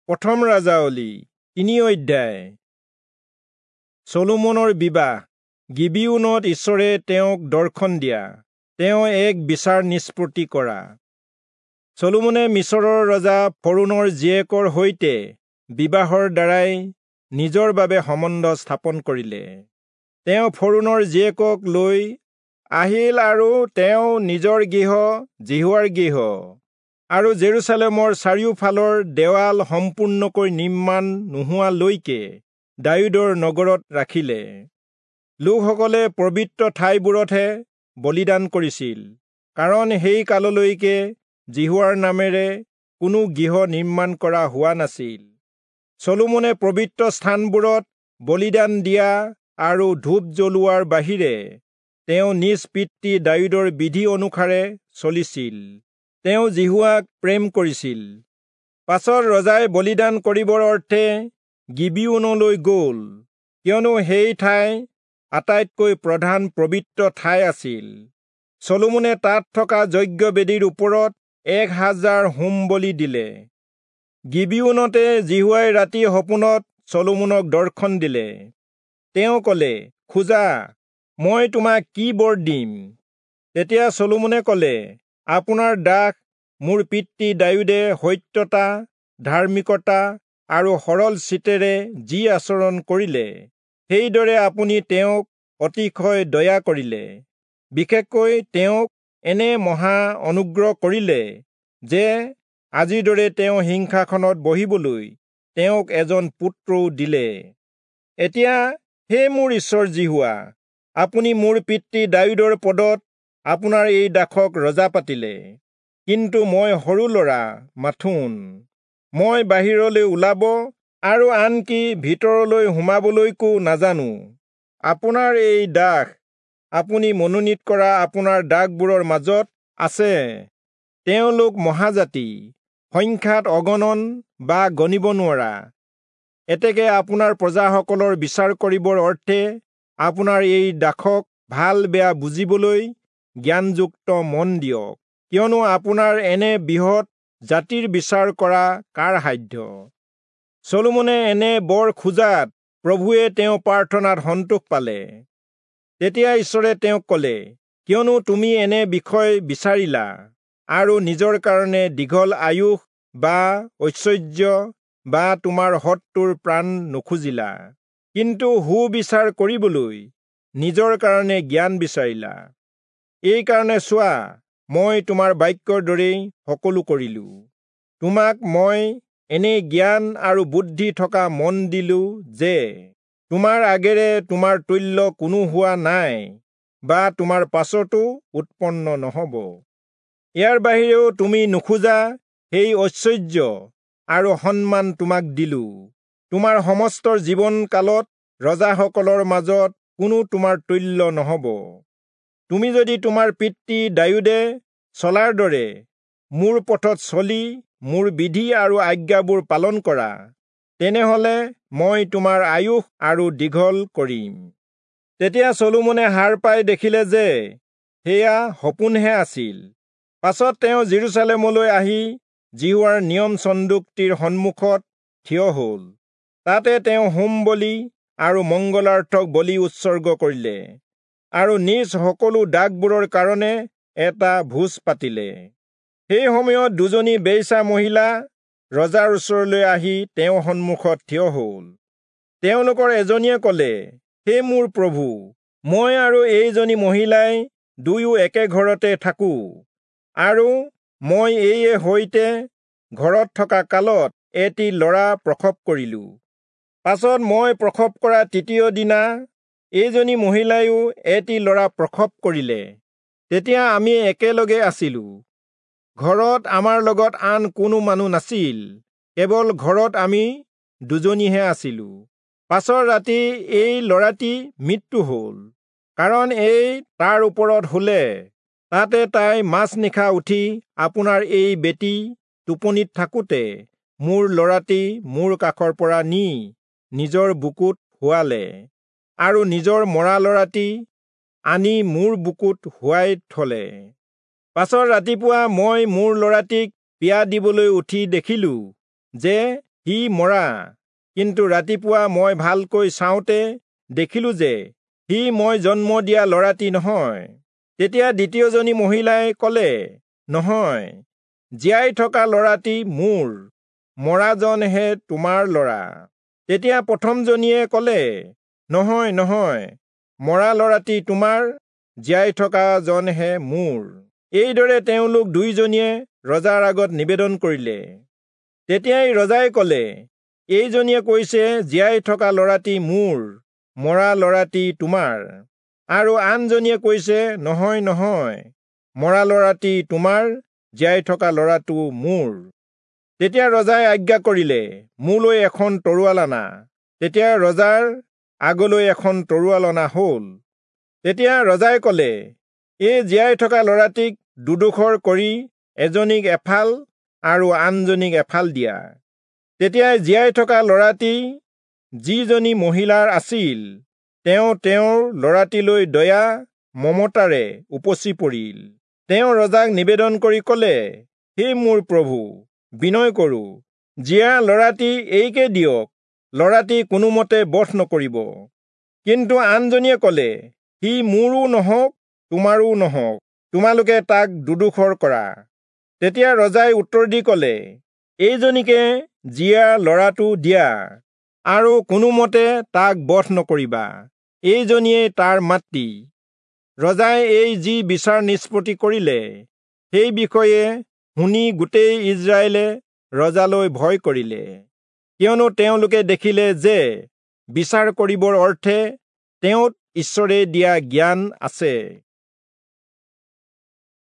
প্ৰথম ৰাজাৱলী 3 অধ্যায়। চলোমনৰ বিবাহ। গিবিয়োনত ঈশ্বৰে তেওঁক দৰ্শন দিয়া, তেওঁ এক বিচাৰ নিষ্পত্তি কৰা। চলোমনে মিচৰৰ ৰজা ফৰোণৰ জীয়েকৰ সৈতে বিবাহৰ দ্বাৰাই নিজৰ বাবে সম্বন্ধ স্থাপন কৰিলে। তেওঁ ফৰোণৰ জীয়েকক লৈ আহিল আৰু তেওঁ নিজৰ গৃহ যিহোৱাৰ গৃহ আৰু জেৰুচালেমৰ চাৰিওফালৰ দেৱাল সম্পূৰ্ণকৈ নিৰ্মাণ নোহোৱালৈকে দায়ূদৰ নগৰত ৰাখিলে। লোকসকলে পবিত্ৰ ঠাইবোৰতহে বলিদান কৰিছিল, কাৰণ সেই কাললৈকে যিহোৱাৰ নামেৰে কোনো গৃহ নিৰ্মাণ কৰা হোৱা নাছিল। চলোমনে পবিত্ৰ স্থানবোৰত বলিদান দিয়া আৰু ধূপ জ্বলোৱাৰ বাহিৰে তেওঁ নিজ পিতৃ দায়ূদৰ বিধি অনুসাৰে চলিছিল। তেওঁ যিহোৱাক প্ৰেম কৰিছিল। পাছত ৰজাই বলিদান কৰিবৰ অৰ্থে গিবিয়োনলৈ গ'ল, কিয়নো সেই ঠাই আটাইতকৈ প্ৰধান পবিত্ৰ ঠাই আছিল। চলোমনে তাত থকা যজ্ঞবেদীৰ ওপৰত 1000 হোম বলি দিলে। গিবিয়োনতে যিহোৱাই ৰাতি সপোনত চলোমনক দৰ্শন দিলে। তেওঁ ক'লে, খোজা, মই তোমাক কি বৰ দিম? তেতিয়া চলোমনে ক'লে, আপোনাৰ দাস মোৰ পিতৃ দায়ূদে সত্যতা, ধাৰ্মিকতা আৰু সৰল চিত্তেৰে যি আচৰণ কৰিলে, সেইদৰে আপুনি তেওঁক অতিশয় দয়া কৰিলে। বিশেষকৈ তেওঁক এনে মহা অনুগ্ৰহ কৰিলে যে আজিৰ দৰে তেওঁ সিংহাসনত বহিবলৈ তেওঁক এজন পুত্ৰও দিলে। এতিয়া হে মোৰ ঈশ্বৰ যিহোৱা, আপুনি মোৰ পিতৃ দায়ূদৰ পদত আপোনাৰ এই দাসক ৰজা পাতিলে, কিন্তু মই সৰু ল'ৰা মাথোন। মই বাহিৰলৈ ওলাব আৰু আনকি ভিতৰলৈ সোমাবলৈকো নাজানো। আপোনাৰ এই দাস আপুনি মনোনীত কৰা আপোনাৰ দাসবোৰৰ মাজত আছে। তেওঁলোক মহাজাতি, সংখ্যাত অগণন বা গণিব নোৱাৰা। এতেকে আপোনাৰ প্ৰজাসকলৰ বিচাৰ কৰিবৰ অৰ্থে আপোনাৰ এই দাসক ভাল বেয়া বুজিবলৈ জ্ঞানযুক্ত মন দিয়ক, কিয়নো আপোনাৰ এনে বৃহৎ জাতিৰ বিচাৰ কৰা কাৰ সাধ্য? চলোমনে এনে বৰ খোজাত প্ৰভুৱে তেওঁ প্ৰাৰ্থনাত সন্তোষ পালে। তেতিয়া ঈশ্বৰে তেওঁক ক'লে, কিয়নো তুমি এনে বিষয় বিচাৰিলা আৰু নিজৰ কাৰণে দীঘল আয়ুস বা ঐশ্বৰ্য বা তোমাৰ শত্ৰুৰ প্ৰাণ নুখুজিলা, কিন্তু সুবিচাৰ কৰিবলৈ নিজৰ কাৰণে জ্ঞান বিচাৰিলা, এইকাৰণে চোৱা, মই তোমাৰ বাক্যৰ দৰেই সকলো কৰিলো। তোমাক মই এনে জ্ঞান আৰু বুদ্ধি থকা মন দিলো যে তোমাৰ আগেৰে তোমাৰ তুল্য কোনো হোৱা নাই বা তোমাৰ পাছতো উৎপন্ন নহ'ব। ইয়াৰ বাহিৰেও তুমি নোখোজা সেই ঐশ্বৰ্য আৰু সন্মান তোমাক দিলো। তোমাৰ সমস্ত জীৱন কালত ৰজাসকলৰ মাজত কোনো তোমাৰ তুল্য নহ'ব। তুমি যদি তোমাৰ পিতৃ দায়ূদে চলাৰ দৰে মোৰ পথত চলি মোৰ বিধি আৰু আজ্ঞাবোৰ পালন কৰা, তেনেহলে মই তোমাৰ আয়ুস আৰু দীঘল কৰিম। তেতিয়া চলোমনে সাৰ পাই দেখিলে যে সেয়া সপোনহে আছিল। পাছত তেওঁ জেৰুচালেমলৈ আহি যিহোৱাৰ নিয়ম চন্দুকটিৰ সন্মুখত থিয় হ'ল। তাতে তেওঁ হোম বলি আৰু মংগলাৰ্থক বলি উৎসৰ্গ কৰিলে আৰু নিজ সকলো দাসবোৰৰ কাৰণে এটা ভোজ পাতিলে। সেই সময়ত দুজনী বেশ্যা মহিলা ৰজাৰ ওচৰলৈ আহি তেওঁৰ সন্মুখত থিয় হ'ল। তেওঁলোকৰ এজনীয়ে ক'লে, হে মোৰ প্ৰভু, মই আৰু এইজনী মহিলাই দুয়ো একে ঘৰতে থাকোঁ, আৰু মই এইয়ে সৈতে ঘৰত থকা কালত এটি ল'ৰা প্ৰসৱ কৰিলো। পাছত মই প্ৰসৱ কৰা তৃতীয় দিনা এইজনী মহিলাইও এটি ল'ৰা প্ৰসৱ কৰিলে। তেতিয়া আমি একেলগে আছিলো। ঘৰত আমাৰ লগত আন কোনো মানুহ নাছিল, কেৱল ঘৰত আমি দুজনীহে আছিলো। পাছৰ ৰাতি এই ল'ৰাটি মৃত্যু হ'ল, কাৰণ এই তাৰ ওপৰত শুলে। তাতে তাই মাজনিশা উঠি আপোনাৰ এই বেটী টোপনিত থাকোঁতে মোৰ ল'ৰাটি মোৰ কাষৰ পৰা নি নিজৰ বুকুত শুৱালে আৰু নিজৰ মৰা ল'ৰাটি আনি মোৰ বুকুত শুৱাই থলে। পাছত ৰাতিপুৱা মই মোৰ ল'ৰাটিক পিয়া দিবলৈ উঠি দেখিলো যে সি মৰা, কিন্তু ৰাতিপুৱা মই ভালকৈ চাওঁতে দেখিলো যে সি মই জন্ম দিয়া ল'ৰাটি নহয়। তেতিয়া দ্বিতীয়জনী মহিলাই ক'লে, নহয়, জীয়াই থকা ল'ৰাটি মোৰ, মৰাজনহে তোমাৰ ল'ৰা। তেতিয়া প্ৰথমজনীয়ে ক'লে, নহয় নহয়, মৰা ল'ৰাটি তোমাৰ, জীয়াই থকা জনহে মোৰ। এইদৰে তেওঁলোক দুয়োজনীয়ে ৰজাৰ আগত নিবেদন কৰিলে। তেতিয়াই ৰজাই ক'লে, এইজনীয়ে কৈছে, জীয়াই থকা ল'ৰাটি মোৰ, মৰা ল'ৰাটি তোমাৰ। আৰু আনজনীয়ে কৈছে, নহয় নহয়, মৰা ল'ৰাটি তোমাৰ, জীয়াই থকা ল'ৰাটো মোৰ। তেতিয়া ৰজাই আজ্ঞা কৰিলে, মোলৈ এখন তৰোৱাল আনা। তেতিয়া ৰজাৰ আগলৈ এখন তৰোৱাল অনা হ'ল। তেতিয়া ৰজাই ক'লে, এই জীয়াই থকা ল'ৰাটিক দুডোখৰ কৰি এজনীক এফাল আৰু আনজনীক এফাল দিয়া। তেতিয়া জীয়াই থকা ল'ৰাটি যিজনী মহিলাৰ আছিল, তেওঁ তেওঁৰ ল'ৰাটিলৈ দয়া মমতাৰে উপচি পৰিল। তেওঁ ৰজাক নিবেদন কৰি ক'লে, হে মোৰ প্ৰভু, বিনয় কৰো, জীয়া ল'ৰাটি এইকে দিয়ক, ল'ৰাটি কোনোমতে বধ নকৰিব। কিন্তু আনজনীয়ে ক'লে, সি মোৰো নহওক তোমাৰো নহওক, তোমালোকে তাক দুডোখৰ কৰা। তেতিয়া ৰজাই উত্তৰ দি ক'লে, এইজনীকে জীয়া ল'ৰাটো দিয়া, আৰু কোনোমতে তাক বধ নকৰিবা, এইজনীয়েই তাৰ মাতৃ। ৰজাই এই যি বিচাৰ নিষ্পত্তি কৰিলে, সেই বিষয়ে শুনি গোটেই ইজৰাইলে ৰজালৈ ভয় কৰিলে, কিয়নো তেওঁলোকে দেখিলে যে বিচাৰ কৰিবৰ অৰ্থে তেওঁত ঈশ্বৰে দিয়া জ্ঞান আছে।